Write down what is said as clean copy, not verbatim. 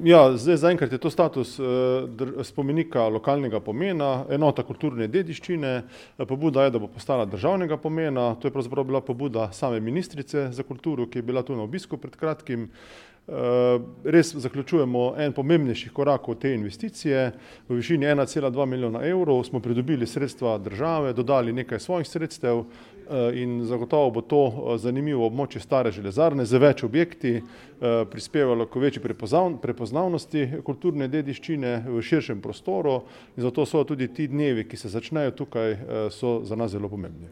Ja, zdaj zaenkrat je to status spomenika lokalnega pomena, enota kulturne dediščine. Pobuda je, da bo postala državnega pomena. To je pravzaprav bila pobuda same ministrice za kulturo, ki je bila tu na obisku pred kratkim. Res zaključujemo en pomembnejših korakov te investicije. V višini 1,2 milijona evrov smo pridobili sredstva države, dodali nekaj svojih sredstev in zagotovo bo to zanimivo območje stare železarne z več objekti, prispevalo k večji prepoznavnosti kulturne dediščine v širšem prostoru in zato so tudi ti dnevi, ki se začnejo tukaj, so za nas zelo pomembni.